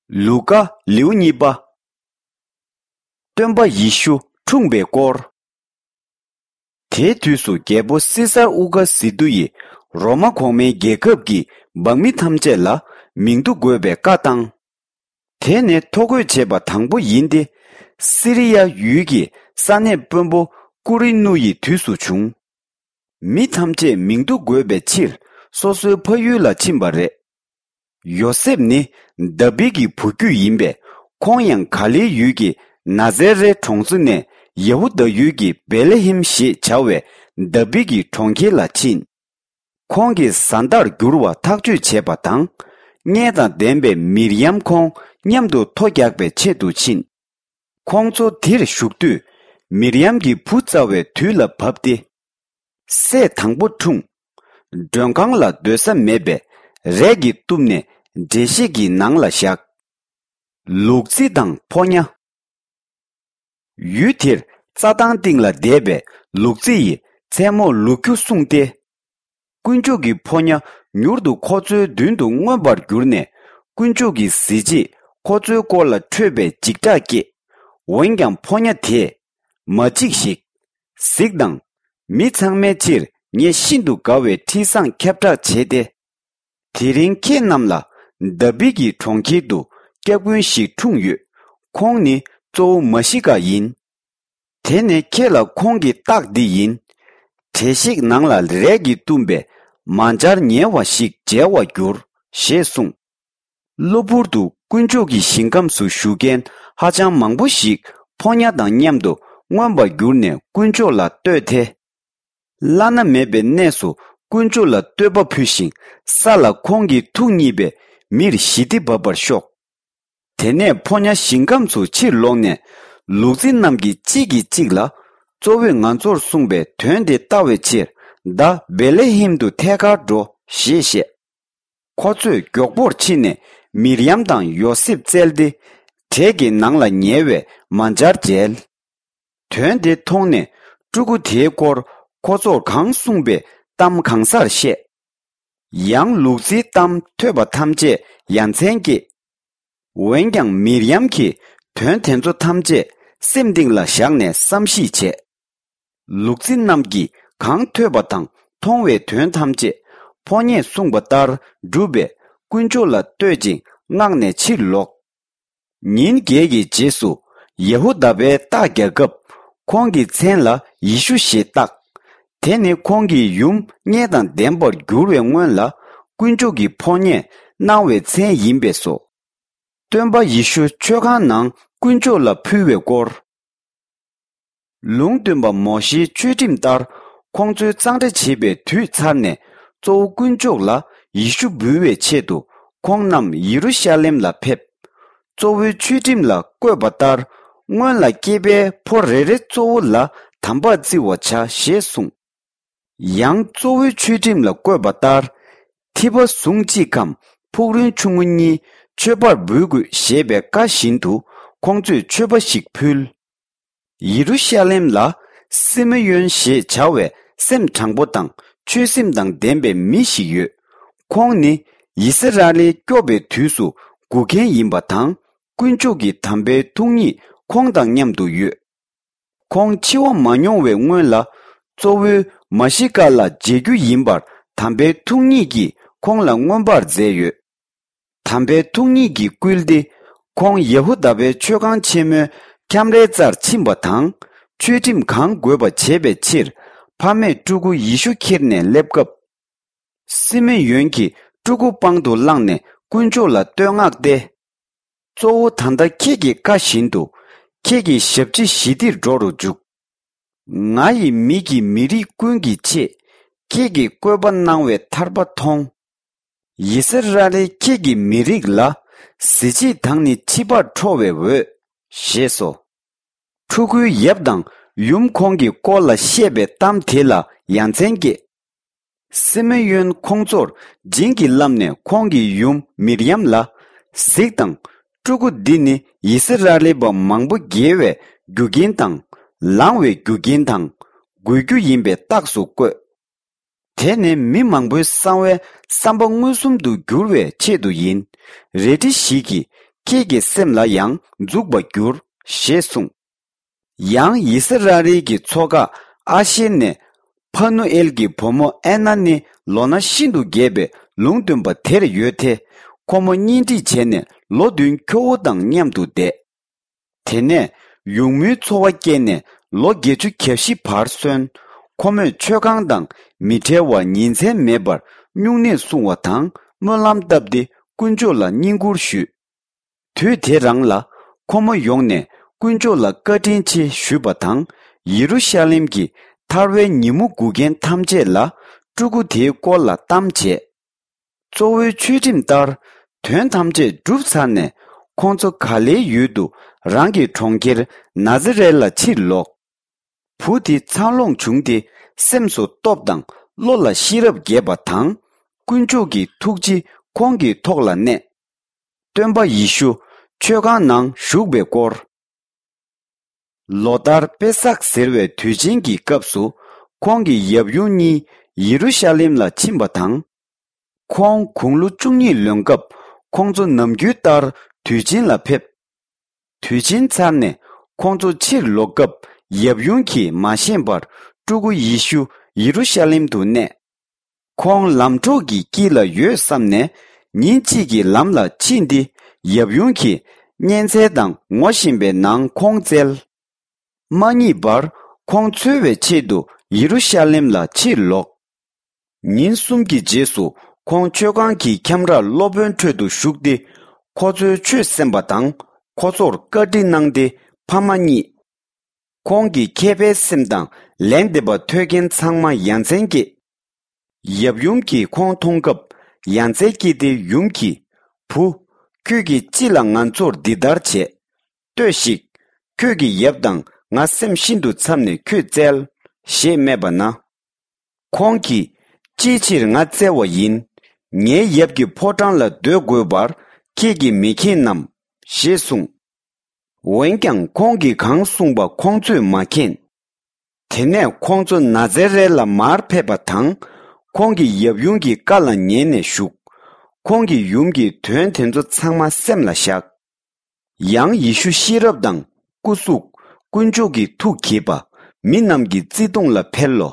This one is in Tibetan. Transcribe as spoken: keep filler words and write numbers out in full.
ལུ་ཀ། ལེའུ་གཉིས་པ། སྟོན་པ་ཡེ་ཤུ་འཁྲུངས་པའི་སྐོར། དེའི་དུས་སུ་རྒྱལ་པོ་སི་སར་ཨུ་ག་སི་ཏུ་ཡིས་རོ་མ་གོང་མའི་རྒྱལ་ཁབ་ཀྱི་འབངས་མི་ཐམས་ཅད་ལ་མིང་ཐོ་འགོད་པའི་བཀའ་བཏང་། དེ་ནི་ཐོ་འགོད་བྱས་པ་དང་པོ་ཡིན་ཏེ། སི་རི་ཡ་ཡུལ་གྱི་ས་གནས་དཔོན་པོ་ཀུ་རི་ནུ་ཡི་དུས་སུ་བྱུང་། མི་ཐམས་ཅད་མིང་ཐོ་འགོད་པའི་ཕྱིར་སོ་སོའི་ཕ་ཡུལ་ལ་ཕྱིན་པ་རེད། ཡོ་སེབ་ནི་དཱ་བིད་ཀྱི་བུ་རྒྱུད་ཡིན་པས། ཁོང་ཡང་ག་ལིལ་ཡུལ་གྱི་ན་ཛེ་རེ་གྲོང་ཚོ་ནས་ཡ་ཧུ་དཱ་ཡུལ་གྱི་བེ་ལེ་ཧེམ་ཞེས་བྱ་བའི་དཱ་བིད་ཀྱི་གྲོང་ཁྱེར་ལ་ཕྱིན། ཁོང་གི་བཟའ་ཟླར་འགྱུར་བ་ཐག་གཅོད་བྱས་པ་དང་། མངལ་དང་ལྡན་པའི་མིར་ཡམ་ཁོང་མཉམ་དུ་ཐོ་རྒྱག་པའི་ཆེད་དུ་ཕྱིན། ཁོང་ཚོ་དེར་བཞུགས་དུས། མིར་ཡམ་གྱི་བུ་བཙའ་བའི་དུས་ལ་བབ་སྟེ། སྲས་དང་པོ་འཁྲུངས། མགྲོན་ཁང་ལ་སྡོད་ས་མེད་པས། རས་ཀྱིས་གཏུབས་ནས་འགྲེལ་བཤད་ཀྱི་ནང་ལ་བཞག། ལུག་རྫི་དང་ཕོ་ཉ། ཡུལ་དེར་རྩྭ་ཐང་སྟེང་ལ་བསྡད་པའི་ལུག་རྫི་ཡི་མཚན་མོར་ལུ་ཁྱུ་གསུངས་ཏེ། དཀོན་མཆོག་གི་ཕོ་ཉ་མྱུར་དུ་ཁོ་ཚོའི་མདུན་དུ་མངོན་པར་གྱུར་ནས། དཀོན་མཆོག་གི་གཟི་བརྗིད་ཁོ་ཚོའི་སྐོར་ལ་འཕྲོས་པའི་འཇིགས་སྐྲག་སྐྱེས། འོན་ཀྱང་ཕོ་ཉ་དེས། མ་འཇིགས་ཤིག། གཟིགས་དང་། མི་ཚང་མའི་ཕྱིར་ངས་ཤིན་ཏུ་དགའ་བའི་འཕྲིན་བཟང་ཁྱབ་བསྒྲགས་བྱས་ཏེ། དེ་རིང་ཁྱེད་རྣམས་ལ་དཱ་བིད་ཀྱི་གྲོང་ཁྱེར་དུ་སྐྱབས་མགོན་ཞིག་འཁྲུངས་ཡོད། ཁོང་ནི་གཙོ་བོ་མ་ཤི་ཀ་ཡིན། དེ་ནས་ཁྱེད་ལ་ཁོང་གི་རྟགས་འདི་ཡིན། འགྲེལ་བཤད་ནང་ལ་རས་ཀྱིས་བཏུམས་པའི་མ་འཇར་ཉལ་བ་ཞིག་མཇལ་བར་འགྱུར། ཞེས་གསུངས། གློ་བུར་དུ་དཀོན་མཆོག་གི་ཞིང་ཁམས་སུ་བཞུགས་མཁན་ཧ་ཅང་མང་པོ་ཞིག་ཕོ་ཉ་དང་མཉམ་དུ་མངོན་པར་གྱུར་ནས་དཀོན་མཆོག་ལ་བསྟོད་དེ། བླ་ན་མེད་པའི་གནས་སུ་དཀོན་མཆོག་ལ་བསྟོད་པ་ཕུལ་ཞིང་། ས་ལ་ཁོང་གི་ཐུགས་མཉེས་པའི་མིར་ཞི་བདེ་འབབ་པར་ཤོག། དེ་ནས་ཕོ་ཉ་ཞིང་ཁམས་སུ་ཕྱིར་ལོག་ནས། ལུག་རྫི་རྣམས་ཀྱིས་གཅིག་གིས་གཅིག་ལ། གཙོ་བོས་ང་ཚོར་གསུངས་པའི་དོན་དེ་བལྟ་བའི་ཕྱིར། ད་བེ་ལེ་ཧེམ་དུ་ཐད་ཀར་འགྲོ། ཞེས་བཤད། ཁོ་ཚོས་མགྱོགས་པོར་ཕྱིན་ནས་མིར་ཡམ་དང་ཡོ་སེབ་བཙལ་ཏེ། གྲས་ཀྱི་ནང་ལ་ཉལ་བའི་མ་འཇར་མཇལ། དོན་དེ་མཐོང་ནས་ཕྲུ་གུ་དེའི་སྐོར་ཁོ་ཚོར་གང་གསུངས་པའི་གཏམ་གང་སར་བཤད། ཡང་ལུག་རྫིའི་གཏམ་ཐོས་པ་ཐམས་ཅད་ཡ་མཚན་སྐྱེས། འོན་ཀྱང་མིར་ཡམ་གྱིས་དོན་དེ་ཚོ་ཐམས་ཅད་སེམས་གཏིང་ལ་བཞག་ནས་བསམ་གཞིག་བྱས། ལུག་རྫི་རྣམས་ཀྱིས་གང་ཐོས་པ་དང་མཐོང་བའི་དོན་ཐམས་ཅད་ཕོ་ཉས་གསུངས་པ་ལྟར་བསྒྲུབས་པས། དཀོན་མཆོག་ལ་བསྟོད་ཅིང་མངགས་ནས་ཕྱིར་ལོག། ཉིན་བརྒྱད་ཀྱི་རྗེས་སུ་ཡ་ཧུ་དཱ་པའི་རྟ་རྒྱག་སྐབས། ཁོང་གི་མཚན་ལ་ཡེ་ཤུ་ཞེས་བཏགས། དེ་ནི་ཁོང་གི་ཡུམ་མངལ་དང་ལྡན་པར་འགྱུར་བའི་སྔོན་ལ་དཀོན་མཆོག་གི་ཕོ་ཉས་གནང་བའི་མཚན་ཡིན་པས་སོ། སྟོན་པ་ཡེ་ཤུ་མཆོད་ཁང་ནང་དཀོན་མཆོག་ལ་ཕུལ་བའི་སྐོར། ལུང་སྟོན་པ་མོ་ཤེའི་ཆོས་ཁྲིམས་ལྟར་ཁོང་ཚོའི་གཙང་སྦྲ་བྱེད་པའི་དུས་ཚར་ནས། གཙོ་བོ་དཀོན་མཆོག་ལ་ཡེ་ཤུ་འབུལ་བའི་ཆེད་དུ་ཁོང་རྣམས་ཡེ་རུ་ཤ་ལེམ་ལ་ཕེབས། གཙོ་བོའི་ཆོས་ཁྲིམས་ལ་བཀོད་པ་ལྟར། སྔོན་ལ་སྐྱེས་པའི་ཕོ་རེ་རེ་གཙོ་བོ་ལ་དམ་པ་བརྩི་བར་བྱ་ཞེས་གསུངས། ཡང་གཙོ་བོའི་ཆོས་ཁྲིམས་ལ་བཀོད་པ་ལྟར། ཐིབས་པ་ཟུང་གཅིག་གམ་ཕུག་རོན་ཆུང་ངུ་གཉིས་མཆོད་པར་འབུལ་དགོས་ཞེས་པའི་བཀའ་བཞིན་དུ་ཁོང་ཚོས་མཆོད་པ་ཞིག་ཕུལ། ཡེ་རུ་ཤ་ལེམ་ལ་སི་མེ་ཡོན་ཞེས་བྱ་བའི་སེམས་དྲང་པོ་དང་ཆོས་སེམས་དང་ལྡན་པའི་མི་ཞིག་ཡོད། ཁོང་ནི་ཡི་སི་ར་ཨེལ་སྐྱོབ་པའི་དུས་སུ་སྒུག་མཁན་ཡིན་པ་དང་། དཀོན་མཆོག་གི་དམ་པའི་ཐུགས་ཉིད་ཁོང་དང་མཉམ་དུ་ཡོད། ཁོང་འཆི་བ་མ་མྱོང་བའི་སྔོན་ལ། གཙོ་བོའི་མ་ཤི་ཀ་ལ་མཇལ་རྒྱུ་ཡིན་པར་དམ་པའི་ཐུགས་ཉིད་ཀྱིས་ཁོང་ལ་མངོན་པར་མཛད་ཡོད། དམ་པའི་ཐུགས་ཉིད་ཀྱིས་བསྐུལ་ཏེ། ཁོང་ཡ་ཧུ་དཱ་པའི་མཆོད་ཁང་ཆེན་མོའི་ཁྱམས་རའི་རྩར་ཕྱིན་པ་དང་། ཆོས་ཁྲིམས་གང་དགོས་པ་བྱེད་པའི་ཕྱིར། ཕ་མས་ཕྲུ་གུ་ཡེ་ཤུ་ཁྱེར་ནས་སླེབས་སྐབས། སི་མེ་ཡོན་གྱིས་ཕྲུ་གུ་པང་དུ་བླངས་ནས་དཀོན་མཆོག་ལ་བསྟོད་བསྔགས་ཏེ། གཙོ་བོ། ད་ལྟ་ཁྱེད་ཀྱི་བཀའ་བཞིན་དུ། ཁྱེད་ཀྱི་ཞབས་ཕྱི་ཞི་བདེར་འགྲོ་རུ་འཇུག། ང་ཡི་མིག་གིས་མི་རིགས་ཀུན་གྱི་ཆེད། ཁྱེད་ཀྱིས་བཀོད་པ་གནང་བའི་ཐར་པ་མཐོང་། ཡི་སི་ར་ཨེལ་ཁྱེད་ཀྱི་མི་རིགས་ལ། གཟི་བརྗིད་དང་ནི་ཕྱི་པར་འཕྲོ་བའི་འོད། ཞེས་སོ། ཕྲུ་གུའི་ཡབ་དང་ཡུམ་ཁོང་གི་སྐོར་ལ་བཤད་པའི་གཏམ་དེ་ལ་ཡ་མཚན་སྐྱེས། སི་མེ་ཡོན་ཁོང་ཚོར་བྱིན་གྱིས་བརླབས་ནས་ཁོང་གི་ཡུམ་མིར་ཡམ་ལ། གཟིགས་དང་། ཕྲུ་གུ་འདི་ནི་ཡི་སི་ར་ཨེལ་པ་མང་པོ་དགེ་བའི་རྒྱུ་རྐྱེན་དང་། ལང་བའི་རྒྱུ་རྐྱེན་དང་། དགོས་རྒྱུ་ཡིན་པའི་རྟགས་སུ་བཀོད། དེ་ནི་མི་མང་པོའི་གསང་བའི་བསམ་པ་མངོན་སུམ་དུ་འགྱུར་བའི་ཆེད་དུ་ཡིན། རལ་གྲི་ཞིག་གིས་ ཁྱེད་ཀྱི་སེམས་ལ་ཡང་འཛུགས་པར་འགྱུར། ཞེས་གསུངས། ཡང་ཡི་སི་ར་ཨེལ་གྱི་མཚོ་འགག་ཨ་ཤེར་ནས་ཕ་ནུ་ཨེལ་གྱི་བུ་མོ་ཨེ་ན་ནི་ལོ་ན་ཤིན་ཏུ་རྒས་པའི་ལུང་སྟོན་པ་དེར་ཡོད་དེ། ཁོ་མོ་གཉེན་སྒྲིག་བྱས་ནས་ལོ་བདུན་ཁྱོ་བོ་དང་མཉམ་དུ་བསྡད། དེ་ནས་ཡུགས་མོའི་ཚོར་བ་སྐྱེས་ནས་ལོ་བརྒྱད་ཅུ་གྱ་བཞི་བར་སོན། ཁོ་མོས་མཆོད་ཁང་དང་མི་འབྲལ་བར་ཉིན་མཚན་མེད་པར་སྨྱུང་གནས་བསྲུང་བ་དང་སྨོན་ལམ་བཏབ་སྟེ་དཀོན་མཆོག་ལ་བསྙེན་བཀུར་ཞུས། དུས་དེ་རང་ལ་ཁོ་མོ་ཡོང་ནས་དཀོན་མཆོག་ལ་བཀའ་དྲིན་ཆེ་ཞུས་པ་དང་། ཡེ་རུ་ཤ་ལེམ་གྱི་ཐར་བའི་ཉིན་མོ་སྒུག་མཁན་ཐམས་ཅད་ལ་སྤྲུལ་སྐུ་དེའི་སྐོར་ལ་གཏམ་བྱས། གཙོ་བོའི་ཆོས་ཁྲིམས་ལྟར་དོན་ཐམས་ཅད་གྲུབ་ཚར་ནས་ཁོང་ཚོ་ག་ལེའི་ཡུལ་དུ་རང་གི་གྲོང་ཁྱེར་ནཱ་ཛི་རེད་ལ་ཕྱིར་ལོག་བུ་དེ་འཚར་ལོངས་བྱུང་སྟེ་སེམས་སུ་སྟོབས་དང་བློ་ལ་ཤེས་རབ་རྒྱས་པ་དང་། དཀོན་མཆོག་གི་ཐུགས་རྗེ་ཁོང་གི་ཐོག་ལ་གནས། སྟོན་པ་ཡེ་ཤུ་མཆོད་ཁང་ནང་བཞུགས་པའི་སྐོར། ལོ་ལྟར་པེ་སག་ཟེར་བའི་དུས་ཆེན་གྱི་སྐབས་སུ་ཁོང་གི་ཡབ་ཡུམ་གཉིས་ཡེ་རུ་ཤ་ལེམ་ལ་ཕྱིན་པ་དང་། ཁོང་དགུང་ལོ་བཅུ་གཉིས་ལོན་སྐབས་ཁོང་ཚོ་ནམ་རྒྱུན་ལྟར་དུས་ཆེན་ལ་ཕེབས། དུས་ཆེན་ཚར་ནས་ཁོང་ཚོ་ཕྱིར་ལོག་སྐབས་ཡབ་ཡུམ་གྱིས་མ་ཤེས་པར་སྤྲུལ་སྐུ་ཡེ་ཤུ་ཡེ་རུ་ཤ་ལེམ་དུ་གནས། ཁོང་ལམ་གྲོགས་ཀྱི་དཀྱིལ་ལ་ཡོད་བསམ་ནས་ཉིན་གཅིག་གི་ལམ་ལ་ཕྱིན་ཏེ་ཡབ་ཡུམ་གྱིས་གཉན་ཚད་དང་ངོ་ཤེས་པའི་ནང་ཁོང་བཙལ། མ་རྙེད་པར་ཁོང་འཚོལ་བའི་ཆེད་དུ་ཡེ་རུ་ཤ་ལེམ་ལ་ཕྱིར་ལོག་ཉིན་གསུམ་གྱི་རྗེས་སུ་ཁོང་མཆོད་ཁང་གི་ཁྱམས་རར་སློབ་དཔོན་ཁྲོད་དུ་ཞུགས་ཏེ། ཁོ་ཚོའི་ཆོས་གསན་པ་དང་ཁོ་ཚོར་བཀའ་འདྲི་གནང་སྟེ་ཕ་མ་རྙེད། ཁོང་གི་མཁས་པའི་སེམས་དང་ལན་འདེབས་པ་ཐོས་མཁན་ཚང་མ་ཡ་མཚན་སྐྱེས། ཡབ་ཡུམ་གྱིས་ཁོང་མཐོང་སྐབས་ཡ་མཚན་སྐྱེས་ཏེ་ཡུམ་གྱིས། བུ། ཁྱོད་ཀྱིས་ཅི་ལ་ང་ཚོར་འདི་ལྟར་བྱས། ལྟོས་ཤིག་ཁྱོད་ཀྱི་ཡབ་དང་ང་སེམས་ཤིན་ཏུ་འཚབ་ནས་ཁྱོད་བཙལ། ཞེས་སྨྲས་པ་ན། ཁོང་གིས། ཅིའི་ཕྱིར་ང་བཙལ་བ་ཡིན། ངའི་ཡབ་ཀྱི་ཕོ་བྲང་ལ་སྡོད་དགོས་པར་ཁྱེད་ཀྱིས་མི་མཁྱེན་ནམ། ཞེས་གསུངས། འོན་ཀྱང་ཁོང་གིས་གང་གསུངས་པ་ཁོང་ཚོས་མ་མཁྱེན། དེ་ནས་ཁོང་ཚོ་ནཱ་ཛེ་རེད་ལ་མར་ཕེབས་པ་དང་། ཁོང་གི་ཡབ་ཡུམ་གྱི་བཀའ་ལ་ཉན་ནས་བཞུགས། ཁོང་གི་ཡུམ་གྱིས་དོན་དེ་ཚོ་ཚང་མ་སེམས་ལ་བཞག་ཡང་ཡེ་ཤུ་ཤེས་རབ་དང་སྐུ་གཟུགས། དཀོན་མཆོག་གི་ཐུགས་དགྱེས་པ། མི་རྣམས་ཀྱི་བརྩེ་གདུང་ལ་འཕེལ་ལོ།